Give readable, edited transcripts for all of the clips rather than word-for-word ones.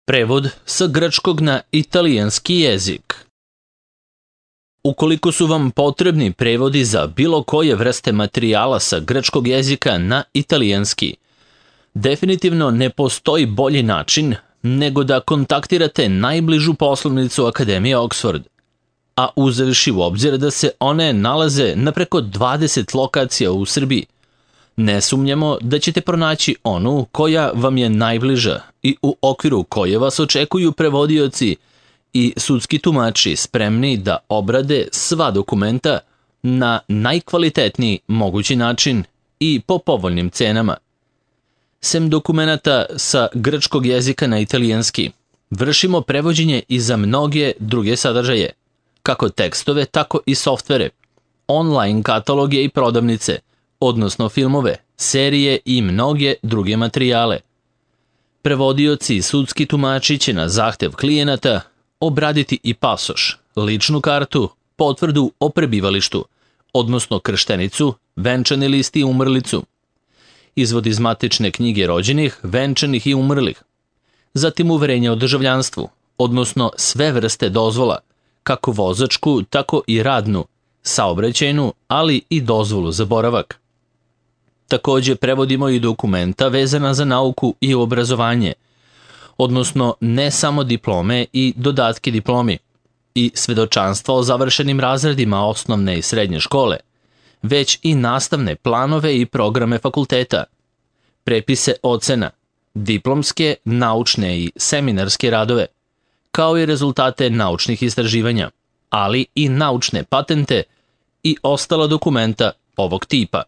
Prevod sa grčkog na italijanski jezik. Ukoliko su vam potrebni prevodi za bilo koje vrste materijala sa grčkog jezika na italijanski, definitivno ne postoji bolji način nego da kontaktirate najbližu poslovnicu Akademije Oxford, a uzevši u obzir da se one nalaze na preko 20 lokacija u Srbiji, ne sumnjamo da ćete pronaći onu koja vam je najbliža i u okviru koje vas očekuju prevodioci i sudski tumači spremni da obrade sva dokumenta na najkvalitetniji mogući način i po povoljnim cenama. Sem dokumenata sa grčkog jezika na italijanski, vršimo prevođenje i za mnoge druge sadržaje, kako tekstove, tako i softvere, online kataloge i prodavnice, odnosno filmove, serije i mnoge druge materijale. Prevodioci i sudski tumači će na zahtev klijenata obraditi i pasoš, ličnu kartu, potvrdu o prebivalištu, odnosno krštenicu, venčani list i umrlicu, izvod iz matične knjige rođenih, venčanih i umrlih, zatim uverenje o državljanstvu, odnosno sve vrste dozvola, kako vozačku, tako i radnu, saobraćajnu, ali i dozvolu za boravak. Takođe prevodimo i dokumenta vezana za nauku i obrazovanje, odnosno ne samo diplome i dodatke diplomi i svedočanstva o završenim razredima osnovne i srednje škole, već i nastavne planove i programe fakulteta, prepise ocena, diplomske, naučne i seminarske radove, kao i rezultate naučnih istraživanja, ali i naučne patente i ostala dokumenta ovog tipa.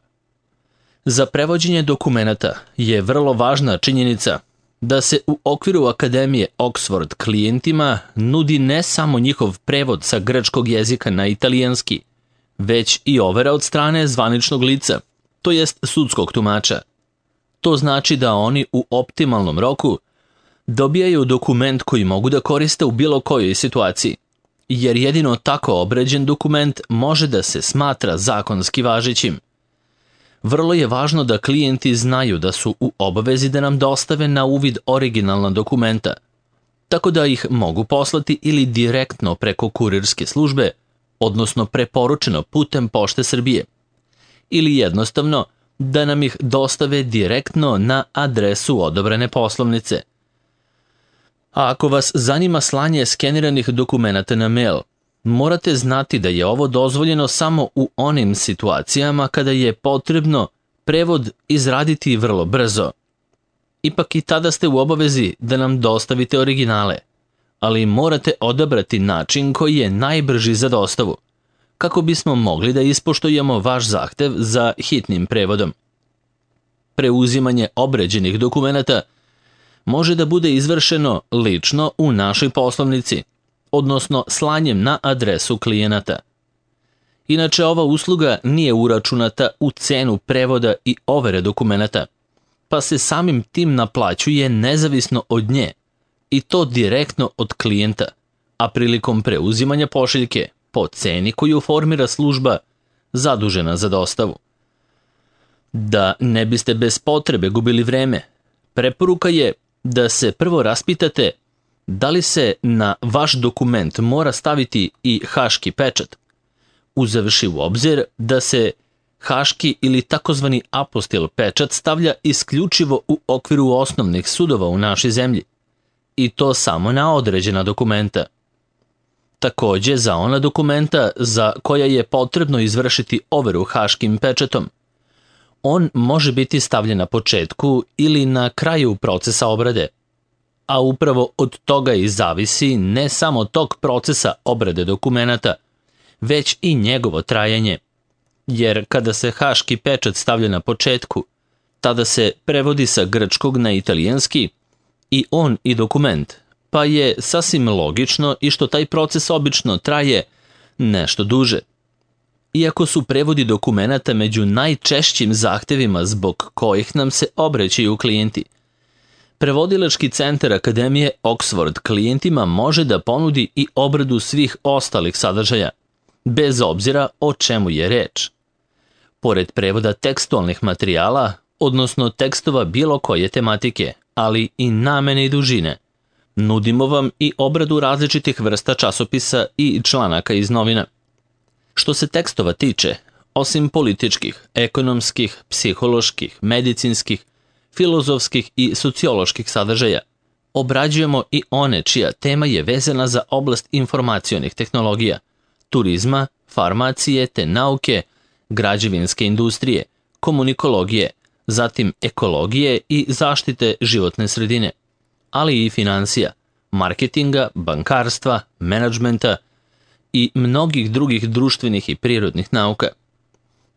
Za prevođenje dokumenata je vrlo važna činjenica da se u okviru Akademije Oxford klijentima nudi ne samo njihov prevod sa grčkog jezika na italijanski, već i overa od strane zvaničnog lica, to jest sudskog tumača. To znači da oni u optimalnom roku dobijaju dokument koji mogu da koriste u bilo kojoj situaciji, jer jedino tako obrađen dokument može da se smatra zakonski važećim. Vrlo je važno da klijenti znaju da su u obavezi da nam dostave na uvid originalna dokumenta, tako da ih mogu poslati ili direktno preko kurirske službe, odnosno preporučeno putem Pošte Srbije, ili jednostavno da nam ih dostave direktno na adresu odobrene poslovnice. A ako vas zanima slanje skeniranih dokumenata na mail, morate znati da je ovo dozvoljeno samo u onim situacijama kada je potrebno prevod izraditi vrlo brzo. Ipak i tada ste u obavezi da nam dostavite originale, ali morate odabrati način koji je najbrži za dostavu, kako bismo mogli da ispoštujemo vaš zahtev za hitnim prevodom. Preuzimanje obrađenih dokumenata može da bude izvršeno lično u našoj poslovnici, odnosno slanjem na adresu klijenata. Inače, ova usluga nije uračunata u cenu prevoda i overe dokumenata, pa se samim tim naplaćuje nezavisno od nje, i to direktno od klijenta, a prilikom preuzimanja pošiljke po ceni koju formira služba zadužena za dostavu. Da ne biste bez potrebe gubili vreme, preporuka je da se prvo raspitate da li se na vaš dokument mora staviti i haški pečat, uzevši u obzir da se haški ili takozvani apostil pečat stavlja isključivo u okviru osnovnih sudova u našoj zemlji, i to samo na određena dokumenta. Takođe, za ona dokumenta za koja je potrebno izvršiti overu haškim pečatom, on može biti stavljen na početku ili na kraju procesa obrade, a upravo od toga i zavisi ne samo tok procesa obrade dokumenata, već i njegovo trajanje, jer kada se haški pečat stavlja na početku, tada se prevodi sa grčkog na italijanski i on i dokument, pa je sasvim logično i što taj proces obično traje nešto duže. Iako su prevodi dokumenata među najčešćim zahtevima zbog kojih nam se obraćaju klijenti, Prevodilački centar Akademije Oxford klijentima može da ponudi i obradu svih ostalih sadržaja, bez obzira o čemu je reč. Pored prevoda tekstualnih materijala, odnosno tekstova bilo koje tematike, ali i namene i dužine, Nudimo vam i obradu različitih vrsta časopisa i članaka iz novina. Što se tekstova tiče, osim političkih, ekonomskih, psiholoških, medicinskih, filozofskih i socioloških sadržaja, obrađujemo i one čija tema je vezana za oblast informacionih tehnologija, turizma, farmacije te nauke, građevinske industrije, komunikologije, zatim ekologije i zaštite životne sredine, ali i finansija, marketinga, bankarstva, menadžmenta i mnogih drugih društvenih i prirodnih nauka.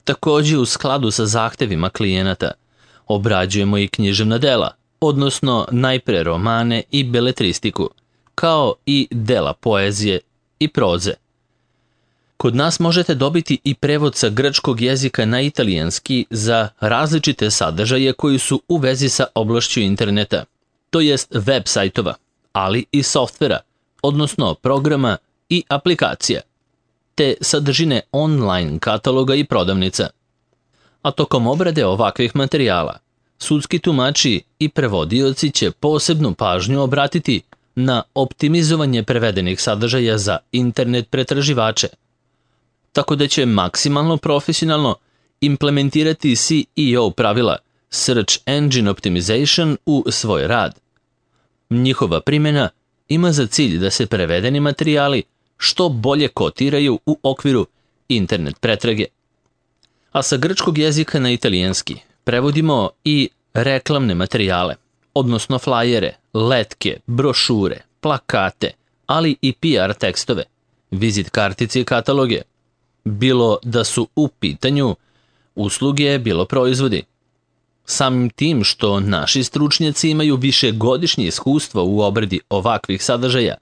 Takođe, u skladu sa zahtevima klijenata, obrađujemo i književna dela, odnosno najpre romane i beletristiku, kao i dela poezije i proze. Kod nas možete dobiti i prevod sa grčkog jezika na italijanski za različite sadržaje koji su u vezi sa oblašću interneta, to jest web sajtova, ali i softvera, odnosno programa i aplikacija, te sadržine online kataloga i prodavnica. A tokom obrade ovakvih materijala, sudski tumači i prevodioci će posebnu pažnju obratiti na optimizovanje prevedenih sadržaja za internet pretraživače, tako da će maksimalno profesionalno implementirati SEO pravila Search Engine Optimization u svoj rad. Njihova primjena ima za cilj da se prevedeni materijali što bolje kotiraju u okviru internet pretrage. A sa grčkog jezika na italijanski prevodimo i reklamne materijale, odnosno flajere, letke, brošure, plakate, ali i PR tekstove, vizit kartice i kataloge, bilo da su u pitanju usluge, bilo proizvodi. Samim tim što naši stručnjaci imaju višegodišnje iskustvo u obradi ovakvih sadržaja,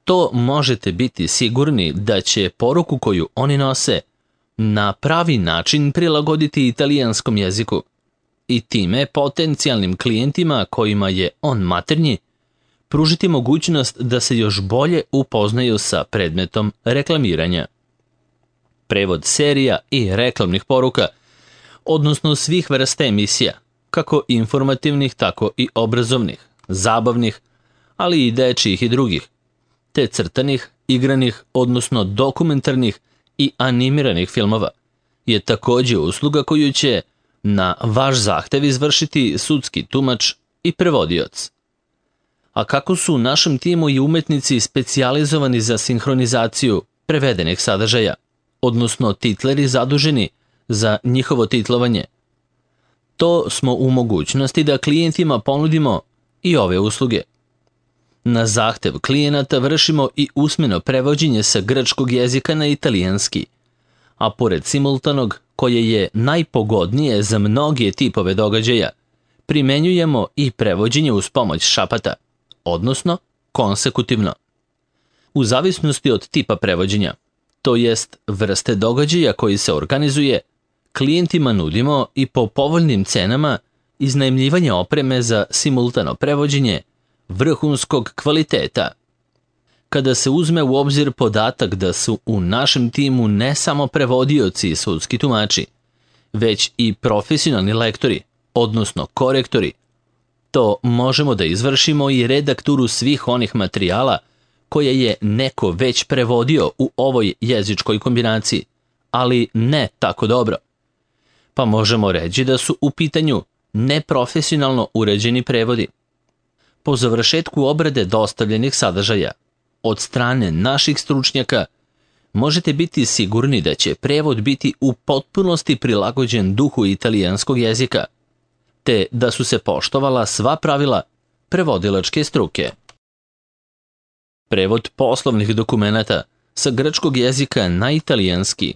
to možete biti sigurni da će poruku koju oni nose na pravi način prilagoditi italijanskom jeziku i time potencijalnim klijentima kojima je on maternji pružiti mogućnost da se još bolje upoznaju sa predmetom reklamiranja. Prevod serija i reklamnih poruka, odnosno svih vrsta emisija, kako informativnih, tako i obrazovnih, zabavnih, ali i dečijih i drugih, te crtanih, igranih, odnosno dokumentarnih i animiranih filmova, je takođe usluga koju će na vaš zahtev izvršiti sudski tumač i prevodioc. A kako su u našem timu i umetnici specijalizovani za sinhronizaciju prevedenih sadržaja, odnosno titleri zaduženi za njihovo titlovanje, to smo u mogućnosti da klijentima ponudimo i ove usluge. Na zahtev klijenata vršimo i usmeno prevođenje sa grčkog jezika na italijanski, a pored simultanog, koje je najpogodnije za mnoge tipove događaja, primenjujemo i prevođenje uz pomoć šapata, odnosno konsekutivno. U zavisnosti od tipa prevođenja, to jest vrste događaja koji se organizuje, klijentima nudimo i po povoljnim cenama iznajmljivanje opreme za simultano prevođenje vrhunskog kvaliteta. Kada se uzme u obzir podatak da su u našem timu ne samo prevodioci i sudski tumači, već i profesionalni lektori, odnosno korektori, to možemo da izvršimo i redakturu svih onih materijala koje je neko već prevodio u ovoj jezičkoj kombinaciji, ali ne tako dobro. Pa možemo reći da su u pitanju neprofesionalno uređeni prevodi. Po završetku obrade dostavljenih sadržaja od strane naših stručnjaka možete biti sigurni da će prevod biti u potpunosti prilagođen duhu italijanskog jezika, te da su se poštovala sva pravila prevodilačke struke. Prevod poslovnih dokumenata sa grčkog jezika na italijanski.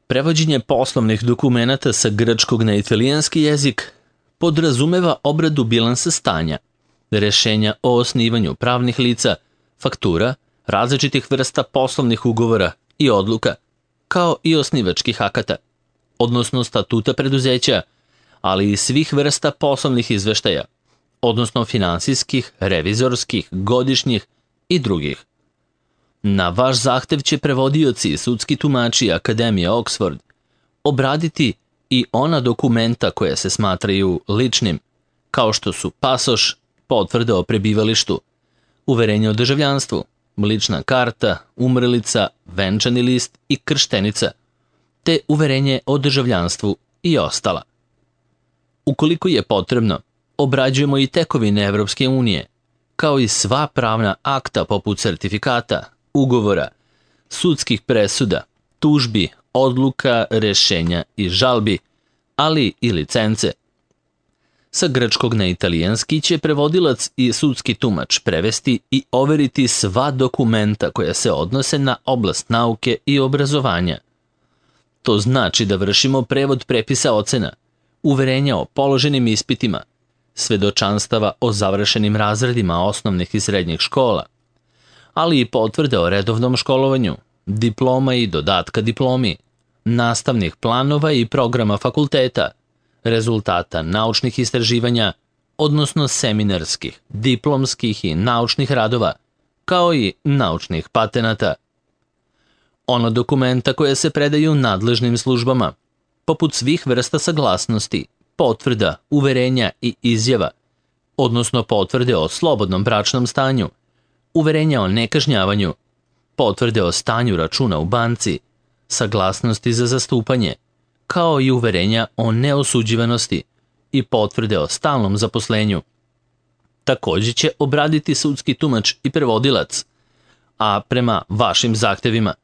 Prevođenje poslovnih dokumenata sa grčkog na italijanski jezik podrazumeva obradu bilansa stanja, rešenja o osnivanju pravnih lica, faktura, različitih vrsta poslovnih ugovora i odluka, kao i osnivačkih akata, odnosno statuta preduzeća, ali i svih vrsta poslovnih izveštaja, odnosno finansijskih, revizorskih, godišnjih i drugih. Na vaš zahtev će prevodioci i sudski tumači Akademije Oxford obraditi i ona dokumenta koja se smatraju ličnim, kao što su pasoš, potvrda o prebivalištu, uverenje o državljanstvu, lična karta, umrlica, venčani list i krštenica, te uverenje o državljanstvu i ostala. Ukoliko je potrebno, obrađujemo i tekovine Evropske unije, kao i sva pravna akta poput sertifikata, ugovora, sudskih presuda, tužbi, odluka, rešenja i žalbi, ali i licence. Sa grčkog na italijanski će prevodilac i sudski tumač prevesti i overiti sva dokumenta koja se odnose na oblast nauke i obrazovanja. To znači da vršimo prevod prepisa ocena, uverenja o položenim ispitima, svedočanstava o završenim razredima osnovnih i srednjih škola, ali i potvrde o redovnom školovanju, diploma i dodatka diplomi, nastavnih planova i programa fakulteta, rezultata naučnih istraživanja, odnosno seminarskih, diplomskih i naučnih radova, kao i naučnih patenata. Ona dokumenta koja se predaju nadležnim službama, poput svih vrsta saglasnosti, potvrda, uverenja i izjava, odnosno potvrde o slobodnom bračnom stanju, uverenja o nekažnjavanju, potvrde o stanju računa u banci, saglasnosti za zastupanje, kao i uverenja o neosuđivanosti i potvrde o stalnom zaposlenju. Također će obraditi sudski tumač i prevodilac, a prema vašim zahtevima,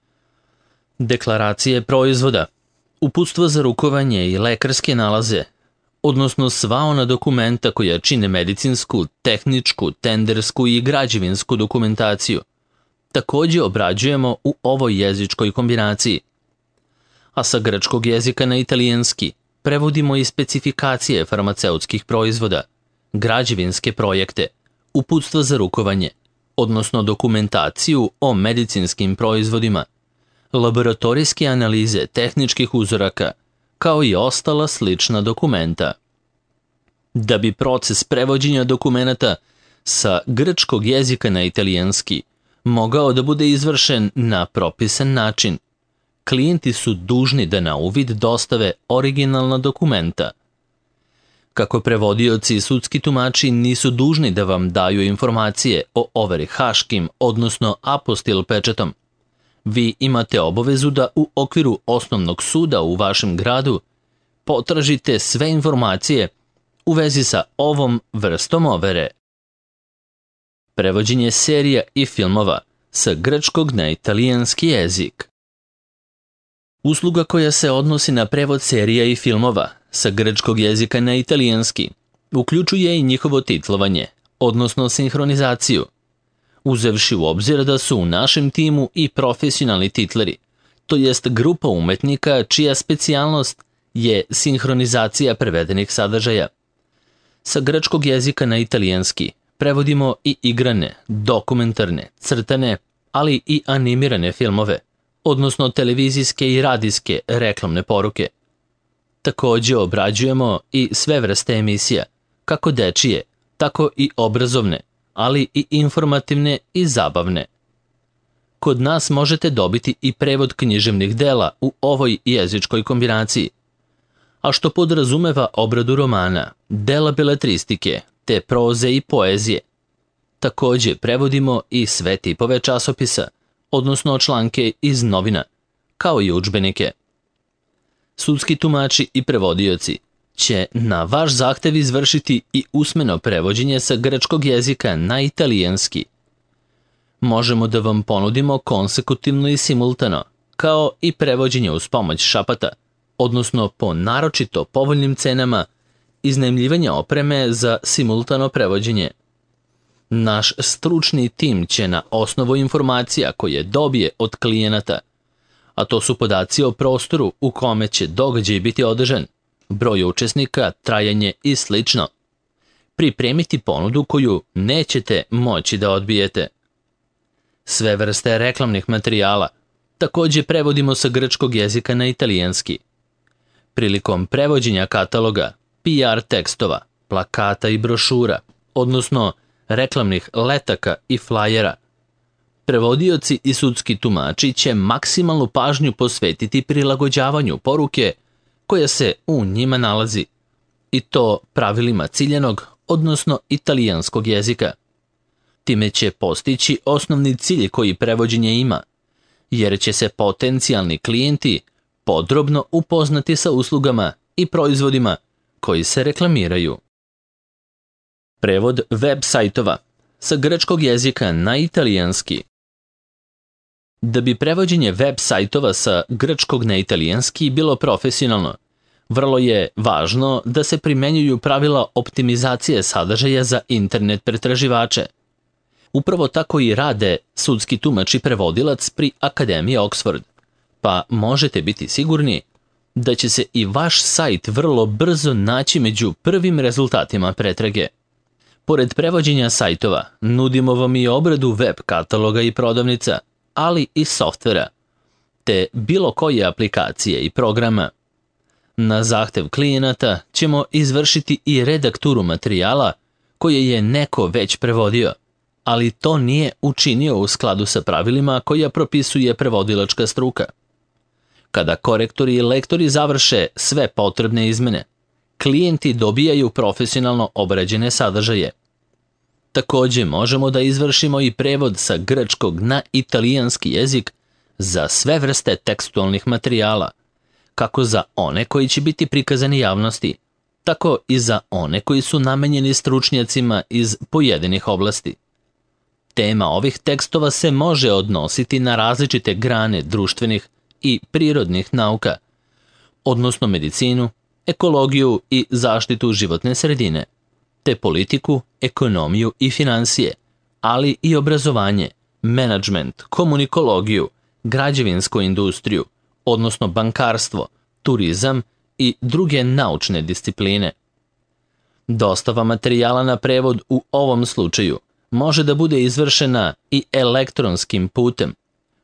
deklaracije proizvoda, uputstvo za rukovanje i lekarske nalaze, odnosno sva ona dokumenta koja čine medicinsku, tehničku, tendersku i građevinsku dokumentaciju, također obrađujemo u ovoj jezičkoj kombinaciji. A sa grčkog jezika na italijanski prevodimo i specifikacije farmaceutskih proizvoda, građevinske projekte, uputstva za rukovanje, odnosno dokumentaciju o medicinskim proizvodima, laboratorijske analize tehničkih uzoraka, kao i ostala slična dokumenta. Da bi proces prevođenja dokumenata sa grčkog jezika na italijanski mogao da bude izvršen na propisan način, klijenti su dužni da na uvid dostave originalna dokumenta. Kako prevodioci i sudski tumači nisu dužni da vam daju informacije o overi haškim, odnosno apostil pečatom, vi imate obavezu da u okviru osnovnog suda u vašem gradu potražite sve informacije u vezi sa ovom vrstom overe. Prevođenje serija i filmova sa grčkog na italijanski jezik. Usluga koja se odnosi na prevod serija i filmova sa grčkog jezika na italijanski uključuje i njihovo titlovanje, odnosno sinhronizaciju, uzevši u obzir da su u našem timu i profesionalni titleri, to jest grupa umetnika čija specijalnost je sinhronizacija prevedenih sadržaja. Sa grčkog jezika na italijanski prevodimo i igrane, dokumentarne, crtane, ali i animirane filmove, odnosno televizijske i radijske reklamne poruke. Također obrađujemo i sve vrste emisija, kako dečije, tako i obrazovne, ali i informativne i zabavne. Kod nas možete dobiti i prevod književnih dela u ovoj jezičkoj kombinaciji, a što podrazumeva obradu romana, dela beletristike, te proze i poezije. Također prevodimo i sve tipove časopisa, odnosno članke iz novina, kao i udžbenike. Sudski tumači i prevodioci će na vaš zahtev izvršiti i usmeno prevođenje sa grčkog jezika na italijanski. Možemo da vam ponudimo konsekutivno i simultano, kao i prevođenje uz pomoć šapata, odnosno po naročito povoljnim cenama iznajmljivanja opreme za simultano prevođenje. Naš stručni tim će na osnovu informacija koje dobije od klijenata, a to su podaci o prostoru u kome će događaj biti održan, broj učesnika, trajanje i sl., pripremiti ponudu koju nećete moći da odbijete. Sve vrste reklamnih materijala također prevodimo sa grčkog jezika na italijanski. Prilikom prevođenja kataloga, PR tekstova, plakata i brošura, odnosno reklamnih letaka i flajera, prevodioci i sudski tumači će maksimalnu pažnju posvetiti prilagođavanju poruke koja se u njima nalazi, i to pravilima ciljanog, odnosno italijanskog jezika. Time će postići osnovni cilj koji prevođenje ima, jer će se potencijalni klijenti podrobno upoznati sa uslugama i proizvodima koji se reklamiraju. Prevod web sajtova sa grčkog jezika na italijanski. Da bi prevođenje web sajtova sa grčkog na italijanski bilo profesionalno, vrlo je važno da se primenjuju pravila optimizacije sadržaja za internet pretraživače. Upravo tako i rade sudski tumač i prevodilac pri Akademiji Oxford, pa možete biti sigurni da će se i vaš sajt vrlo brzo naći među prvim rezultatima pretrage. Pored prevođenja sajtova, nudimo vam i obradu web kataloga i prodavnica, ali i softvera, te bilo koje aplikacije i programa. Na zahtev klijenata ćemo izvršiti i redakturu materijala koje je neko već prevodio, ali to nije učinio u skladu sa pravilima koja propisuje prevodilačka struka. Kada korektori i lektori završe sve potrebne izmene, klijenti dobijaju profesionalno obrađene sadržaje. Također možemo da izvršimo i prevod sa grčkog na italijanski jezik za sve vrste tekstualnih materijala, kako za one koji će biti prikazani javnosti, tako i za one koji su namenjeni stručnjacima iz pojedinih oblasti. Tema ovih tekstova se može odnositi na različite grane društvenih i prirodnih nauka, odnosno medicinu, ekologiju i zaštitu životne sredine, te politiku, ekonomiju i finansije, ali i obrazovanje, menadžment, komunikologiju, građevinsku industriju, odnosno bankarstvo, turizam i druge naučne discipline. Dostava materijala na prevod u ovom slučaju može da bude izvršena i elektronskim putem,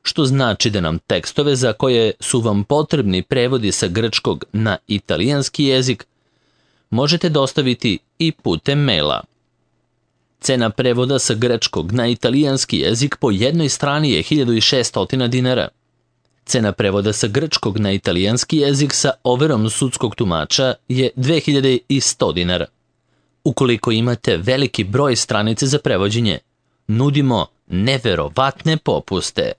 što znači da nam tekstove za koje su vam potrebni prevodi sa grčkog na italijanski jezik možete dostaviti i putem maila. Cena prevoda sa grčkog na italijanski jezik po jednoj strani je 1600 dinara. Cena prevoda sa grčkog na italijanski jezik sa overom sudskog tumača je 2100 dinara. Ukoliko imate veliki broj stranice za prevođenje, nudimo neverovatne popuste.